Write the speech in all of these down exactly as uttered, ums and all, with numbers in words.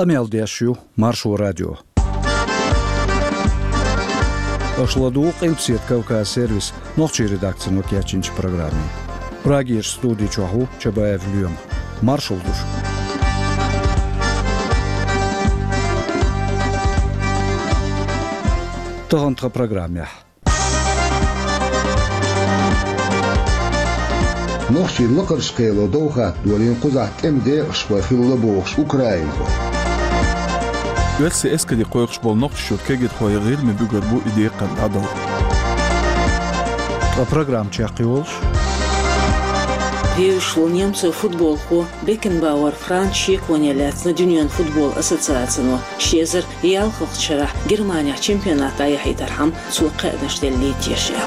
Къамел деш ю Маршо радио. Аша ладугӀу Къилбаседа Кавказ сервисан нохчийн редакцино кечйинчу программе. Прагерчу студи чохь ву Чабаев Лоьма. Маршалла ду шуьга. Тахана тхан программехь. Нохчийн лакхарчу кхело дов хатта долийна кхузахь тӀеман декъашхой хилла бохуш украинхой. Оьрсийн эскаре кхойкхуш болу нохчашна кегирхой гӀирма буьгур бу и декхар дӀадала. Ткъа программа чекхйолуш. Вевзаш волу немцойн футболхо Бекенбауэр Франц шеконе лаьцна Дуьненан футбол ассоциацино. Ши эзар ялхалгӀачу шарахь Германехь чемпионат дӀаяхьийтархьама цо кхаьънаш деллий теша.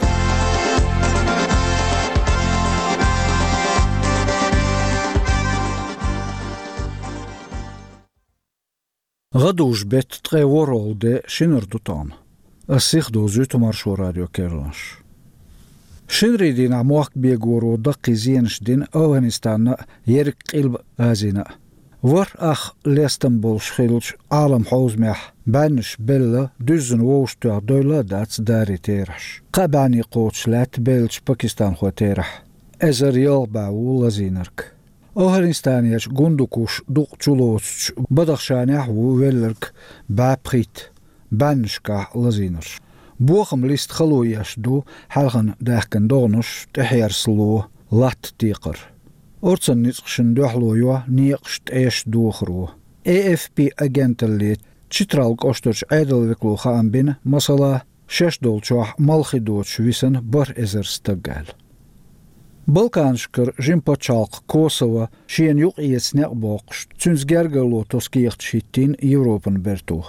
ГӀадужу-беттан ткъе ворхӀалгӀа де шинара ду тахана. Ас сиха довзуьйту Маршо радион керланаш. Шинарийн дийнахь мохк бегоро даккхий зенаш дина АфгӀанистанна а, ерриг Къилба Азина а. ВорхӀ ах лестам болуш хиллачу Ӏалам хьовзамехь бӀеннаш белла, дуьззина вовшахтоьхна дойла а дац дарийн терахьаш. Кхаа бӀенне кхочуш лаьтта беллачу пакистанхойн терахь. Эзар ялх бӀе ву лазийнарг. АфгӀанистанерчу Гундукуш дукъ чулоцучу Бадахшанехь а ву велларг бӀе пхийтта, бӀеннашкахь лазийнарш. Бохам листа хало еш ду хьаьлхана даьхкина догӀанаш, тӀехьерсало, латта текхар. Орцан ницкъашна дуьхьало йо некъаш, тӀеш дохаро. Э Эф Пи агенталле Читрал кӀоштарчу Ӏедалан векало хаам бина, масала, шаьш долчохь малхи доцуш висина бархӀ эзар стаг аьлла. Балканашкара жима пачхьалкх Косово шена юкъаэца некъ боккхуш, цуьнца гергарло тосу кехаташ хӀиттийна Европан берто.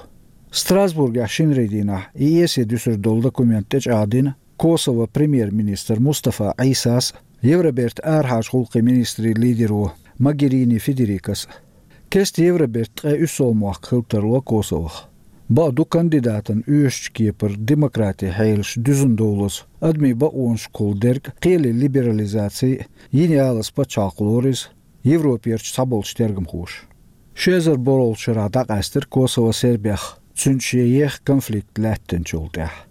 Страсбургехь шинарийн дийнахь и эсе дуьсур долу документ тӀечӀагӀдина Косово премьер-министр Мустафа Ӏийсас а, Евробертан арахьарчу гӀуллакхийн министрийн лидеро Могерини Федерикас а. Кеста Евробертан ткъе уьссалгӀа мохк хила тарло Косовох. Бакъду, кандидатан оьшучу кепара демократин хьелаш дуьзна довлаза, адамийн бакъонашкахула дерг, кхеле либерализаци а, йина ялаза пачхьалкх лору иза, Европерчу цхьаболчу тергамхоша. Ши эзар ворхӀалгӀачу шарахь дӀакъаьстира Косово Сербех, цуьнца шен еха конфликт лаьттинчул тӀаьхьа.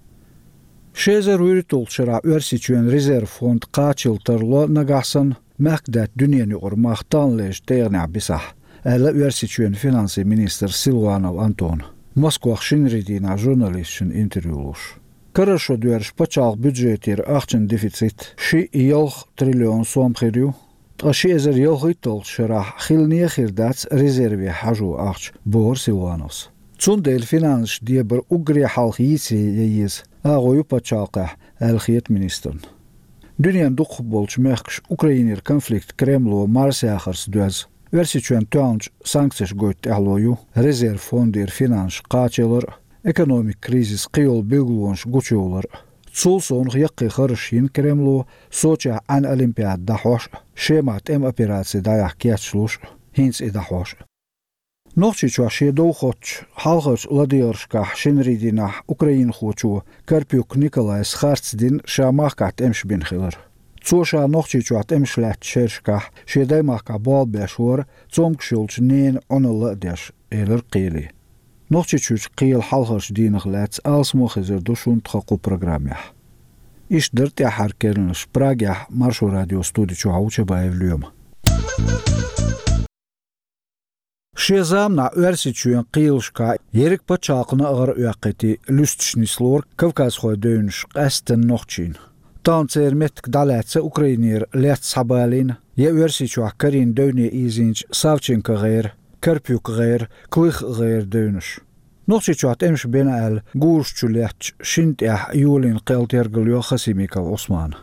Ши эзар вуьрхӀитталгӀачу шарахь Оьрсийчоьнан резерв фонд кхачалла тарло нагахь санна, мехкадаьтта дуьненан юкъара мах таханлерчу декъанехь бисахь, аьлла Оьрсийчоьнан финансийн министра Силуанов Антона, Москвахь шинарийн дийнахь журналисташна интервью луш. Карара шо доьрзуш пачхьалкхан бюджетера ахчан дефицит ши ялх триллион сом хир ю, ткъа ши эзар ялхитталгӀачу шарахь хилла а хир дац резерве хьажо ахча, бохура Силуановс. Цундела финансаш дебар уггаре хьалха йийца ян еза агӀо ю пачхьалкхехь, аьлла хета министрна. Дуьненан дукхахболчу мехкаша Украинера конфликт Кремло марсаяхарца доьзна, Оьрсийчоьнна тоьхначу санкцеша гойту тӀаьхьало ю резерв фондера финансаш кхачалар а, экономикан кризисан кхийолу билгалонаш гучуйовлар а. Цул совнаха яккхий харжаш йина Кремло Сочехь Ӏаьнан Олимпиада дӀахьош а, Шемахь тӀеман операци дӀаяхьа кечлуш а, хӀинца и дӀахьош а. Нохчийчохь шен дов хоттучу хьалхарчу ладегӀаршкахь шинарийн дийнахь украинхочо Карпюк Николайс харц дина ша махкахь тӀемаш бина хилар. Цо ша Нохчийчохь тӀемаш лаьттачу шерашкахь шен даймахкахь болх беш вара, цомгуш йолчу ненан Ӏуналла а деш, элира кхеле. Нохчийчуьрчу кхелан хьалхарчу дийнах лаьцна алсамо а хезар ду шуна тхан кху программехь. Иштта дара тӀаьххьара керланаш. Прагехь Маршо радион студи чохь ву Чабаев Лоьма. Шен заманахь Оьрсийчоьнан кхелашкахь ерриг пачхьалкхана а гӀараоьккхийтий луьстуш нислора кавказхойн девнаш, къаьсттина нохчийн. Тахана церан меттиг дӀалаьцна Украинера лец схьабалийна я Оьрсийчохь карийна девне ийзийначу Савченко гӀеран, Карпюк гӀеран, Клых гӀеран девнаш. Нохчийчохь тӀемаш бина аьлла, гураш чу леттачу шина тӀехь йолийна кхел тергал йо Хасимиков Ӏусмана.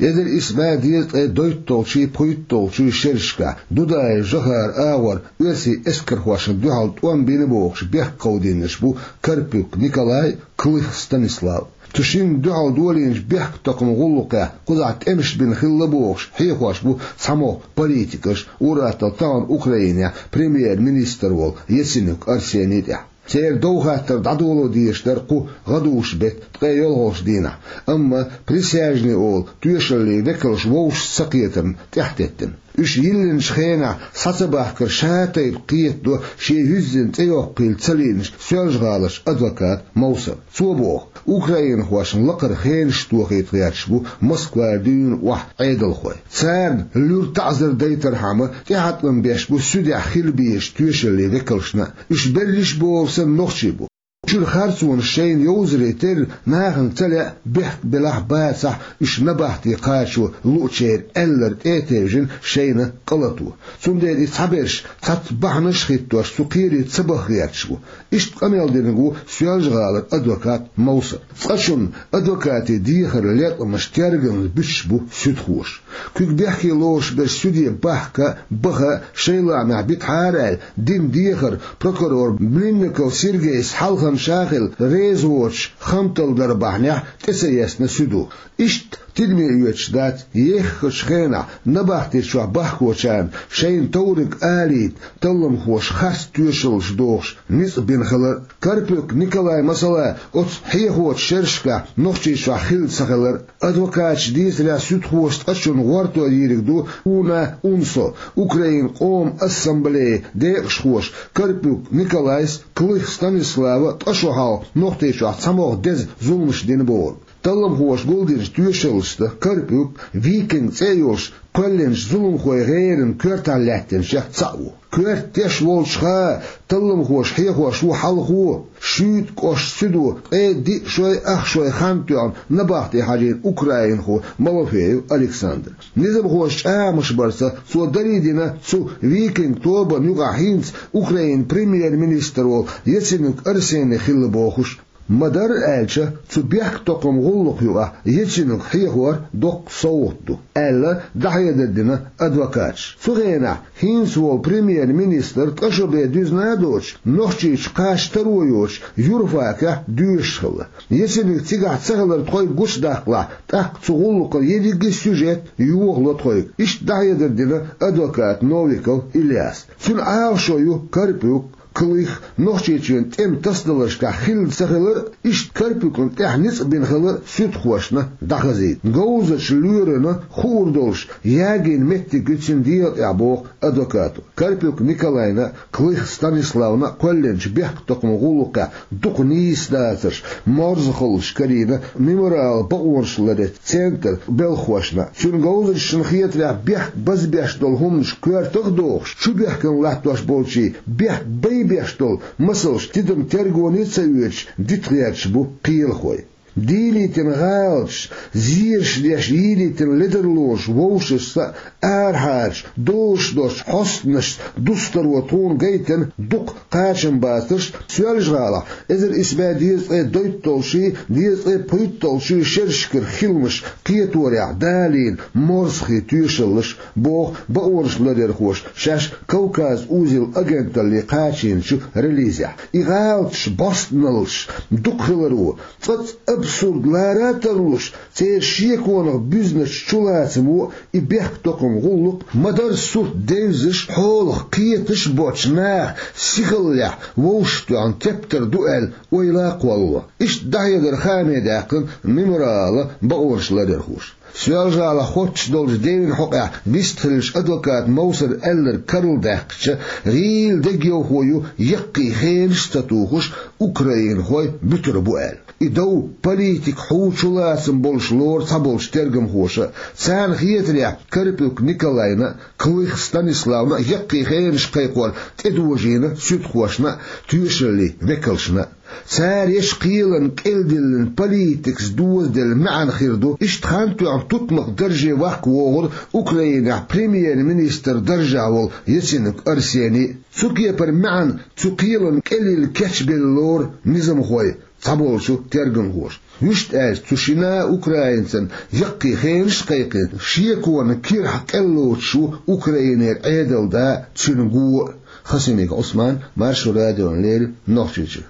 Эзар исс бӀе дезткъе дейтталгӀачий, пхийтталгӀачий шерашкахь Дудаев Жохаран агӀор оьрсийн эскархошна дуьхьал тӀом бина бохуш бехк кховдийначу бу Карпюк Николай, Клых Станислав. Цу шинна дуьхьал долийначу бехктакхаман гӀуллакхехь кхузахь тӀемаш бина хилла бохуш хьехош бу цхьамогӀа политикаш, ур-атталла тахана Украинехь премьер-министр волу Яценюк Арсений тӀехь. Церан дов хаттар дӀадоло дезаш дара кху гӀадужу-беттан ткъе йолхалгӀачу дийнахь, амма присяжные олу тоьшаллийн векалш вовшашца ца кхетарна тӀаьхьатеттина. Уьш йиллинчу хенахь схьа ца бахкар ша тайпа кхетадо шен юьззина цӀе йоккхийла ца лиъначу Соьлжа-ГӀаларчу адвоката Мовсара. Цо боху, украинхошна лакхара хенаш тохийта гӀерташ бу Москвара дуьйна охьа Ӏедалхой. Царна луьра таӀзар дайтархьама, тӀехьатӀам беш бу суьдехь хила безачу тоьшаллийн векалшна а. Уьш берриш а бохург санна нохчий бу. Чуьра харцонаш шайна йовзаре терра, нахана ца лаьа, бехк белахь а, бацахь а, уьш набахте кхачо луучеран аьлларг тӀе а тевжина шайна къа лато. Цундела и цхьаберш цхьацца бахьанаш а хӀиттош цу кхере ца баха гӀерташ бу. Иштта къамел динарг ву Соьлжа-ГӀалара адвокат Мовсар. Цкъачунна адвокатийн дехар леркъамаш тергамза буьтуш бу суьдхоша. Куьг бехке лоруш берш суьде бахка а, баха а шайн лаамехь битахьара аьлла дина дехар прокурор Млинников Сергейс хьалха ша хилла реза воцуш хам талла дар бахьанехь тӀе ца естина суьдо. Иштта тидаме оьцуш дац еххачу хенахь набахти чохь бахкочарна шайна товриг алийта талламхоша харц тоьшаллаш дохуш ницкъ бина хилар. Карпюк Николай, масала, оцу хьехочу шерашкахь Нохчийчохь хилла ца хилар. Адвокаташа дийцарехь, суьдхоша цкъачунна гӀорто йийриг ду Уна Унсо, Украинан Къоман Ассамблеин декъашхоша Карпюк Николайс, Клых Станислава ткъа шо хьалха Нохчийчохь цхьамогӀа деза зуламаш дина бохург. Талламхоша гулдинчу тоьшаллашца Карпюк, Викинг цӀе а йолуш, кхоьллинчу зуламхойн гӀеран коьртахь лаьттинчех цхьаъ ву. Коьрта теш волчуха талламхоша хьехош ву хьалхо, Шуьйта кӀоштан суьдо ткъе диъ шой, ах шой хан тоьхна набахте хьажийна украинхо Малофеев Александр. Низамхоша чӀагӀамаш барца цо дарий дина цу Викинг тобанна юкъахь хӀинца Украинан премьер-министр волу Яценюк Арсений хилла бохуш. Ма-дарра аьлча, цу бехктокхаман гӀуллакх юкъахь Яценюк хьехор доккха совгӀат ду, аьлла, дӀахьедар дина адвокаташа. Цу хенахь хӀинца волу премьер-министр ткъа шо бен дуьзна а доцуш, Нохчийчу кхача таро йоцуш, юрфакехь доьшуш хилла. Яценюк цигахь ца хилар тхоьга гучудаккхалахь, тӀаккха цу гӀуллакхана ерриге а сюжет йохало тхоьга. Иштта дӀахьедар дина адвоката Новиков Ильяса. Цуьнан Ӏалашо ю Карпюк, Клых, Нохчийчоьнан тӀеман тасадаларшкахь хилла ца хилар а, иштта Карпюкна тӀехь ницкъ бина хилар а суьдхошна дӀахазийта. Говзачу лоьрана хуур долуш ягийна меттиг ю цуьнан дегӀан тӀехь боху адвокато. Карпюк Николайна а, Клых Станиславна а кхоьллинчу бехктокхаман гӀуллакхехь дукха нийса дацарш, морзахаллаш карийна Мемориалан бакъонаш ларъечу центран белхахошна. Цуьнан говзанчашна хетарехь, бехк базбеш долу хӀуманаш коьртах а дохуш, чу бехкана латтош болчийн бехк байбеш долу масалш тидам тергоне а ца оьцуш дита гӀерташ бу кхелахой. Дийлийтина гӀалаташ, зераш деш йийлийтина ледарлонаш вовшашца а, арахьарчу, долуш доцчу хьостанашца дустаро тхуна гайтина дукха кхачамбацарш Соьлжа-ГӀалахь эзар исс бӀе дезткъе дейтталгӀачий, дезткъе пхийтталгӀачий шерашкара хиламаш кхеторехь далийна морзахий тоьшаллаш, боху бакъонаш ларъярхоша шаьш «Кавказ узел» агенталле кхачийначу релизехь. И гӀалаташ, бӀостаналлаш дукха хиларо, цкъацкъа абсурд лара а тарлуш, церан шеконах буьзначу чулацамо и бехктокхаман гӀуллакх ма-дарра сурт девзаш, хьолах кхеташ а боцчу наха сихаллехь вовшахтоьхна тептар ду аьлла ойла а кхоллало. Иштта дӀахьедар хааме даьккхина Мемориалан бакъонаш ларъярхоша. Соьлжа-ГӀалахь хоттуш долчу девнан хьокъехь вистхиллачу адвоката Мовсара аьлларг карладаьккхича, гӀийла дегайовхо ю яккхий хенаш а ца тухуш, украинхой буьтур бу аьлла. И дов политикан хьу чулацам болуш лору цхьаболчу тергамхоша. Царна хетарехь, Карпюк Николайна а, Клых Станиславна а яккхий хенаш кхайкхор тӀедожийна суьдхошна а, тоьшаллийн векалшна а. Цара еш кхелана кӀелдиллина политикаца дозаделла маьӀна хир ду, иштта хан тоьхна тутмакх дарже ваккха вогӀура Украинехь премьер-министр даржехь волу Яценюк Арсений. Цу кепара маьӀна цу кхелана кӀелилла кечбелла лору низамхой, цхьаболчу тергамхоша. Вуьшта аьлча, цу шина а украинцана яккхий хенаш а кхайкхина, шеконан кирахь кӀел лоцуш ву Украинера Ӏедалда а, цуьнан го а. Хасимиков Ӏусман, Маршо радиона леррина, Нохчийчуьра.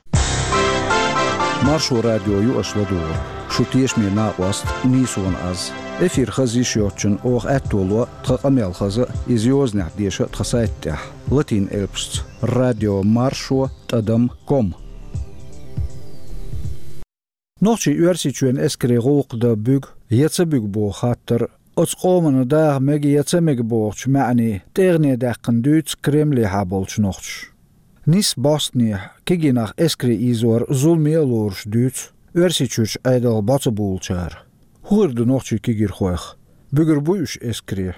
Маршо радио ю аша ладугӀург. Шун тешаме накъост нийсонан аз. Эфир хаза йиш йоцчунна оха аьтто ло тхан къамел хаза а, иза йозанехь деша а тхан сайта тӀехь, латин элпашца: радио маршо тӀадам ком. Нохчийн-Оьрсийчоьнан эскарийн гӀуллакх дан буьгу я ца буьгу боху хаттар Оцу къомана даха мега я ца мега бохучу маьӀне тӀегӀане даьккхина дуьйцу Кремлехьа болчу нохчаша. Нийса бӀостанехьа кегий нах эскаре ийзор зуламе а лоруш дуьйцу Оьрсийчуьрчу Ӏедалх бӀо ца булучара. ХӀун хир ду нохчийн кегийрхойх? Буьгур буй уьш эскаре?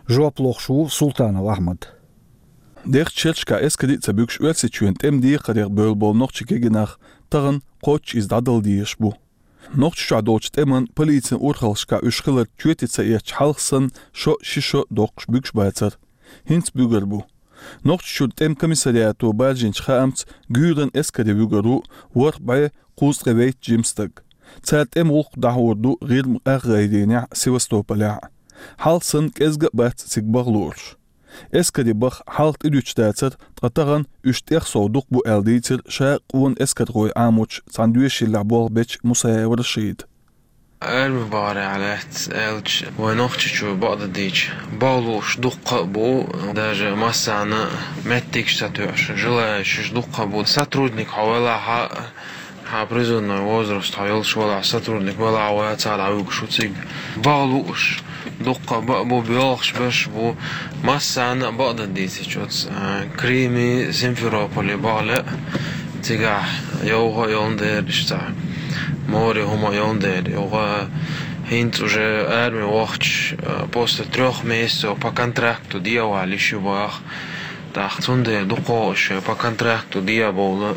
Жоп лохуш ву Султанов Ахьмад. Дехачу шерашкахь эскаре а ца буьгуш, Оьрсийчоьнан тӀеман декхарех бевлла болу нохчийн кегий нах тахана кхоччуш иза дӀадала дезаш бу. Нохчийчохь долчу тӀеман, полицин урхаллашкахь уьш хилар чоьте ца эцча, хьалха санна шо, ши шо доккхуш буьгуш бацара. ХӀинца буьгур бу. Нохчийчуьра тӀеман комиссариато баржийначу хаамца, гуьйранна эскаре вуьгур ву ворхӀ бӀе кхузткъе вейтта жима стаг. Цара тӀеман гӀуллакх дӀахьур ду ГӀирма ах гӀайренехь, Севастополехь. Хьалха санна кӀезга а бац цига баха лууш. Эскаре баха хьалха тӀедуьтуш дацара, ткъа тахана уьш тӀех сов дукха бу аьлла дийцира ша къона эскархой Ӏамочу цхьана доьшийллехь болх бечу Мусаев Рашида. Арми бахарехь лаьцна аьлча, вайн Нохчийчоь бакъдерг дийцича, баха лууш дуккха а бу, даже массарна меттигаш ца тоьуш, желающих дуккха а бу. Сотрудник хьо велахь а, хьан призывной возраст хьо йолуш велахь, сотрудник велахь а, вай цара дӀавуьгуш ву цига. Баха лууш дуккха а бу, боьлхуш берш а бу, массарна а бакъдерг дийцича оцу, а, Крыме, Симферополе баха лаьа, цигахь йовха а йолун дера иштта, море хӀума а йолун дера, йовха а хӀинца уже арми вахча, а, после трёх месяцев по контракту дӀавала йиш ю баха. ТӀаккха цундела дукхох а шайн по контракту дӀабовла,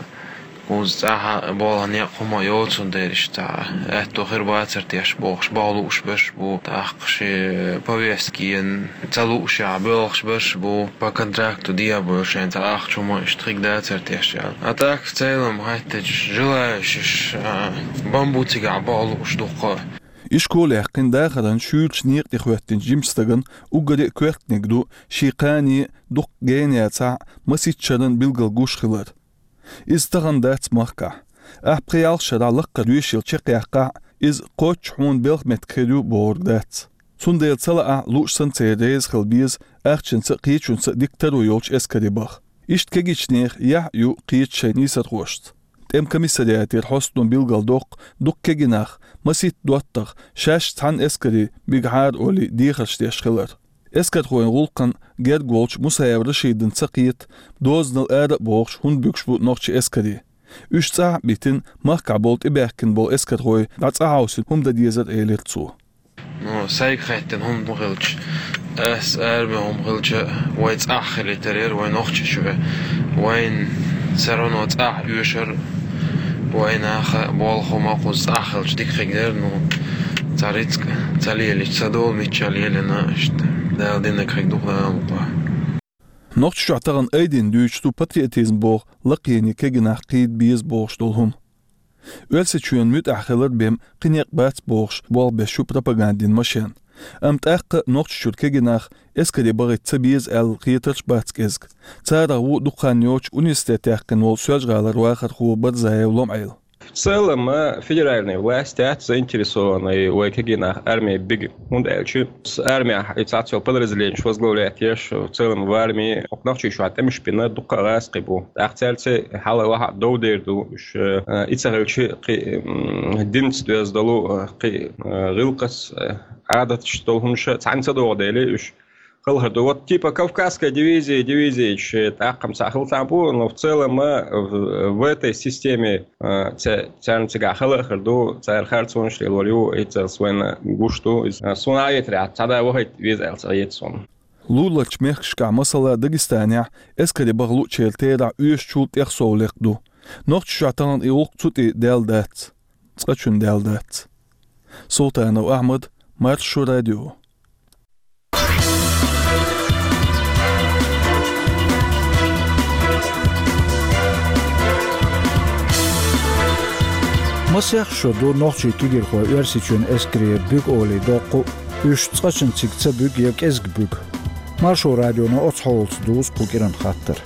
кхуза цӀахь а болх, некъ хӀума а йоцун дела иштта, аьтто хир бацара теш бохуш, баха лууш берш а бу, тӀаккха шен повестка ца луушехь боьлхуш берш а бу, по контракту дӀабовла, шайна цхьа ахча хӀума иштта хир дацара теш аьлла. А так, в целом, хӀоьттича, желающих, а, бан бу цигахь баха лууш дуккха а. Ишкол яьккхина дахаран шуьйрачу некъа тӀе хӀоьттинчу жимачу стагана уггаре а коьртаниг ду, шен кхане дуккха гена яцахь а, масийтта шарна билггал гуш хилар. Иза тахана дац махкахь. Ахь пхи ялх шарахь лаккхара доьшийла чекхъяьккхахь а, иза кхоччуш хьуна белхан меттиг хир ю бохург дац. Цундела ца лаахь а, лууш санна церан реза хила беза ахчанца а, кхечунца а дика таро йолчу эскаре баха. Иштта кегийчу нехан яхь а ю кхечу шайн нийсархошца. ТӀеман комиссариатера хьостано билгалдоккху, дукха кегий нах, масийтта доттагӀа, шаьш цхьана эскаре бигахьара олий, дехарш деш хилар. Эскархойн гӀуллакхана герга волчу Мусаев Рашидана ца кхета, дозанал ара а бохуш, хӀунда буьгуш бу нохчий эскаре. Уьш цӀахь а битина, махкахь болу тӀебаьхкина болу эскархой дӀа цӀа хьовсийна хӀума дан дезара, элира цо. Ну, сайга хаьттина хӀума хилча, ас арми хӀума хилча, вай цӀахь хилийтар яра, вай Нохчийчоь, вайна все равно цӀахь оьшура, вай наха болх хӀума кхуза цӀахь хилча дика хир дара, ну, цхьа рицкъ ца лелийча, ца долу мичча лелийна, иштта, Дала динарг хир ду-кх, Дала мукъ лахь. Нохчийчохь тахана айдина дуьйцуш ду патриотизм боху лакхене кегий нах кхийда беза бохуш долу хӀума. Оьрсийчоьнан муьтӀахь хилар бен кхин некъ бац бохуш, болх беш ю пропагандин машен. Амма тӀаккха а Нохчийчуьра кегий нах эскаре бахийта ца беза аьлла хетарш а бац кӀезга. Царах ву дукха хан йоццуш университет яьккхина волу Соьлжа-ГӀалара вахархо Барзаев Лом-Ӏела. В целом, а, федеральные власти заинтересованы вай кегий нах арме бига. ХӀунда аьлча, с-, армехь и цхьацца йолу подразделенеш возглавлять еш, в целом в армии, хӀокху Нохчийчохь тӀемаш бина дуккха а гӀазкхий бу. ТӀаккха цаьрца хьала-ваха дов дер ду, уьш, э, и ца хилча, кхин, м, динца доьзна долу, э, кхин, э, гӀиллакхаца, э, Ӏадаташца долу хӀуманаш цхьаьна ца догӀу дела, уьш хала хир ду. Вот типа Кавказская дивизия, дивизия, тӀаккха-м цхьа хила цхьаьна бу, но в целом, э, в, в этой системе, э, ца-, царна цигахь хала а хир ду, цара харцонаш лелор ю, и царна вайна гуш ду. Иза, э, суна а етарехь, цхьа да вахийта веза аьлла ца хета суна. Луларчу мехкашкахь, масала, Дагестанехь эскаре баха луучеран терахь оьшучул тӀех сов лекха ду. Нохчийчохь тахана и гӀуллакх цу тӀе даьлла дац. Цкъачунна даьлла дац. Султанов Ахьмад, Маршо радио. Масех шо ду нохчийн кегийрхой Оьрсийчоьнан эскарера буьгу олий доккху, уьш цкъачунна цига ца буьгу я кӀезиг буьгу. Маршо радионо оцу хьолаца дузу кху кӀиран хаттар.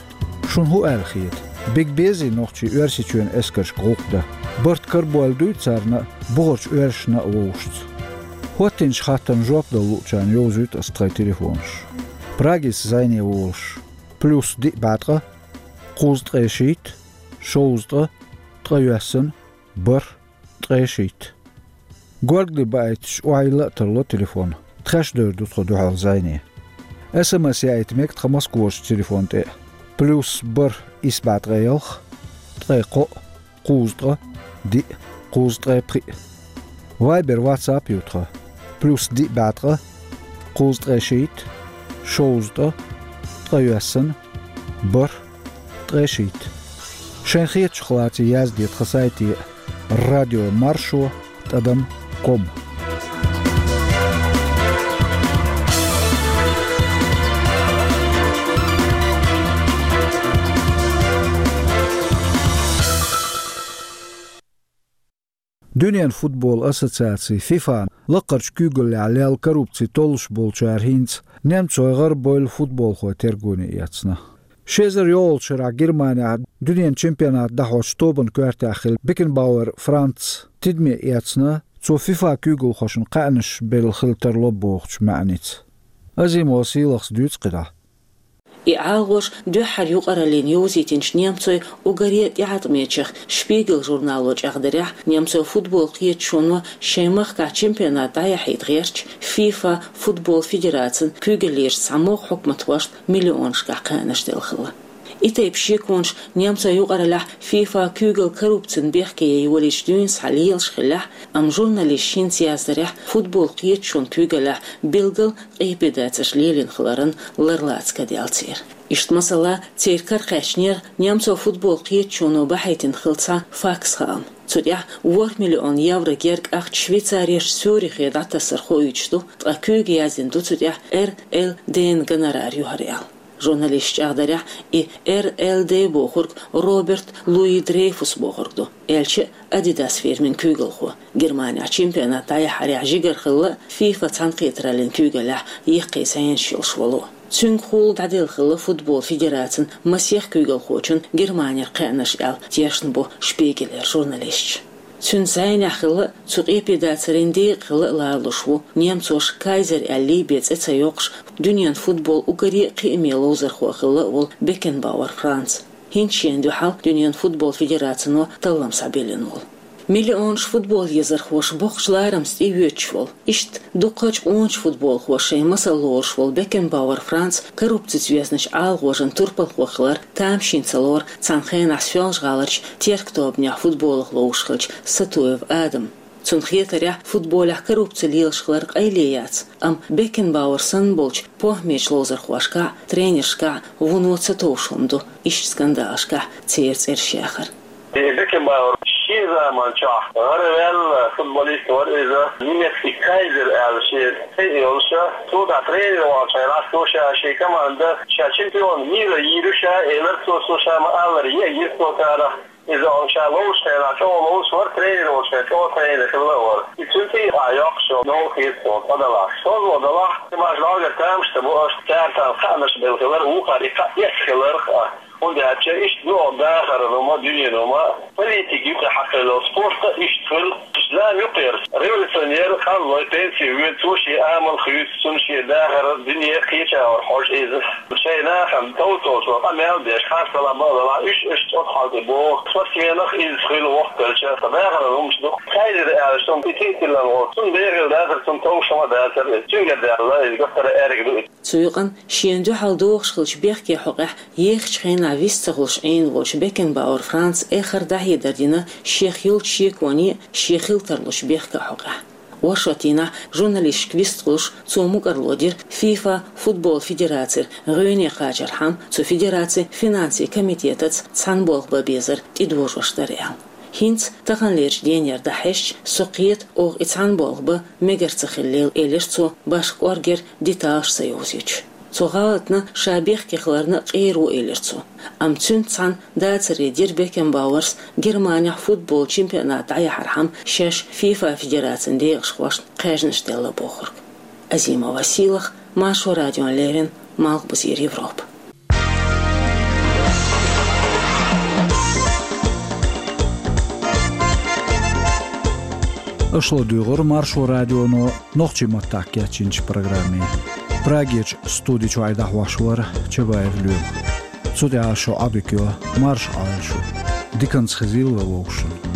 Шуна хӀун аьлла хета? Бига безий нохчий Оьрсийчоьнан эскаршка гӀуллакх дан? Барт карабойлла дуй царна а, бухарчу оьрсашна а вовшашца? ХӀоттинчу хаттарна жоп дала луучарна йовзуьйту аса тхайн телефонаш. Прагица зӀене волуш: плюс диъ бӀе ткъа, кхузткъе шийтта, шовзткъа, ткъайоьсна, бархӀ, ткъе шийтта. Горгали баийтича, охьайилла а тарло телефон. тхаьш девр ду тхо дуьхьал зӀене. СМС яийта мега тхан Москварчу телефон тӀе: плюс бархӀ исс бӀе ткъе ялх, ткъе кхоъ, кхузткъа, диъ, кхузткъе пхиъ. Вайбер, WhatsApp ю тхан: плюс диъ бӀе ткъа, кхузткъе шийтта, шовзткъа, ткъе йоьссана, бархӀ, ткъе шийтта. Шайн хетачух лаций язде тхан сайте: радио маршо тӀадам ком. Дуьненан футбол ассоциаци ФИФА лакхарчу куьйгаллехь лелла коррупци толлуш болчара хӀинца немцойн гӀарабевлла футболхой тергоне эцна. Ши эзар йолчу шарахь Германехь дуьненан чемпионат дӀахьочу тобанан коьртехь хилла Бекенбауэр Франц тидаме эцна, цо ФИФА куьйгалхошна кхаьънаш белла хила тарло бохучу маьӀница. Азимова Сийлахьас дуьйцу кхидӀа. И ӀалагӀожа дуьххьара юкъараллина йовзийтинчу немцойн уггаре а тӀеӀаткъамечех «Шпигель» журнало чӀагӀдарехь, немцойн футбол кхеташоно шайн махкахь чемпионат дӀаяхьийта гӀертачу ФИФА футбол федерацин куьйгаллерчу цхьамогӀа хьукматхошна миллионашкахь кхаьънаш делла хилла. И тайпа шеконаш немцойн юкъараллехь ФИФА куьйгалла коррупцин бехке ян йолийча дуьйна схьа лелаш хиллехь, амма журналисташа хӀинца яздарехь, футбол кхеташонан куьйгаллехь билггал къепедацарш лелийна хиларан ларлаца ка даьлла церан. Иштта, масала, церан кара кхаьчнера немцойн футбол кхеташоно бахьийтина хилла цхьа факс-хаам. Цу тӀехь ворхӀ миллион евро герга ахча Швейцарерчу Цюрихе дӀатассар хоуьйтуш ду, ткъа куьйга яздина ду цу тӀехь РЛД-н гонорар ю хӀара аьлла. Журналисташа чӀагӀдарехь, и РЛД бохург Роберт Луи Дрейфус бохург ду, аьлча а Адидас фирмин куьйгалхо. Германехь чемпионат дӀаяхьарехь жигара хилла ФИФА цхьаьнакхетараллин куьйгаллехь яккхий зӀенаш йолуш волу. Цуьнгахула дӀаделла хилла футбол федерацин масех куьйгалхочун Германера кхаьънаш аьлла, тешна бу «Шпигелера» журналисташа. Цуьнан зӀенехь хилла а, цу къепедацарийн декъа хилла а ларалуш ву немцоша «Кайзер» аьлла бен цӀе ца йоккхуш, дуьненан футболан уггаре а кхиаме ловзархо хилла а волу Бекенбауэр Франц. ХӀинца шена дуьхьал дуьненан футбол федерацино таллам схьабиллина волу. Миллионаш футбол езархоша боккхачу ларамца тӀеоьцуш волу, иштта дукхачу къоначу футболхоша шайн масал лоруш волу Бекенбауэр Франц коррупцица везначу ӀалагӀожан турпалхо хилар тамашийна ца лору цхьана хенахь Соьлжа-ГӀаларчу «Терк» тобанехь футболах ловзуш хиллачу Сатуев Адама. Цунна хетарехь, футболехь коррупци лелаш хилар къайле яц, амма Бекенбауэр санна болчу похӀмечу ловзархошкахь а, тренершкахь а вуно ца товш хӀума ду иштта скандалашкахь церан цӀераш яхар. И Бекенбауэр шен заман чохь гӀараваьлла футболист вара иза, немецкий «Кайзер» аьлла шен цӀе йолуш, цо тӀехь тренер волчу хенахь цо ша шен команда ша чемпион мира йийр ю ша элира цо, цо ша ма-аллара, йийр цо царах. Иза ша ловзучу хенахь чӀогӀа ловзуш вара, тренер волчу хенахь чӀогӀа тренер хилла а вара. И цуьнан тӀе а йоккхуш йолу новкъа хета суна, тӀадалахь. ШозлагӀа далахь, маша логар тамаш ца бу аша, цара царна кхаънаш белла хилар, вукхара и кхаъ эцна хиларх а. ХӀунда аьлча иштта ду оха дахаран хӀума, дуьненан хӀума, политика юкъе хьакхелла, спорт а иштта хуьлу. Зама юкъера революционер къанлой пенси вуьйна, цо шен амал хуьйцу, цунна шен дахар, дуьне кхечахьара хьожу иза. Шайн нахана товцалчо къамел деш, харцдалахь, бакъдалахь, уьш, уьш цӀота хьал тӀе боху. Спортсменах иза хуьлу воккхача, ткъа дахаран хӀумаш ду. Кайзер аьлла цунна и титулан волу, цунна бегӀийла дацара, цунна товш хӀума дацара иза. Цуьнгара даьлла иза, гаттара аьриг ду иза. Цу юкъанна шена дуьхьал догӀуш хиллачу бехке хьокъехь ехачу хенахь вист ца хуьлуш Ӏийна волчу Бекенбауэр Франца эххар дӀахьедар дина шех йолчу шеконе а, шен хила тарлучу бехка хьокъехь. Оршот дийнахь журналисташка вист хуьлуш, цо мукӀарло дира ФИФА футбол федерацера гӀоьне кхачархьама, цу федерацин финансийн комитетаца цхьаьна болх бан безар тӀедожош дара аьлла. ХӀинца таханлерчу денера дӀахьаьжча, со кхета, оха и цхьаьна болх бан мегар ца хиллал, элира цо, башха кӀоргера деталаш ца йовзуьйтуш. Цу гӀалатна ша бехке хиларна къера ву, элира цо. Амма цуьнца цхьаьна дацаре дира Бекенбауэрс Германехь футбол чемпионат дӀаяхьархьама шаьш ФИФА федерацин декъашхошна кхаьжнаш делла бохург. Азимова Сийлахь, Маршо радиона леррина, Малхбузера Европа. Аша ладуьйгӀира Маршо радионо нохчийн маттахь кечйинчу программе. Прагерчу студи чуьра дӀахьош вара Чабаев Лоьма. Цу тӀехь шун Ӏодика йо, марша Ӏойла шу. Диканца хезийла вай вовшашна.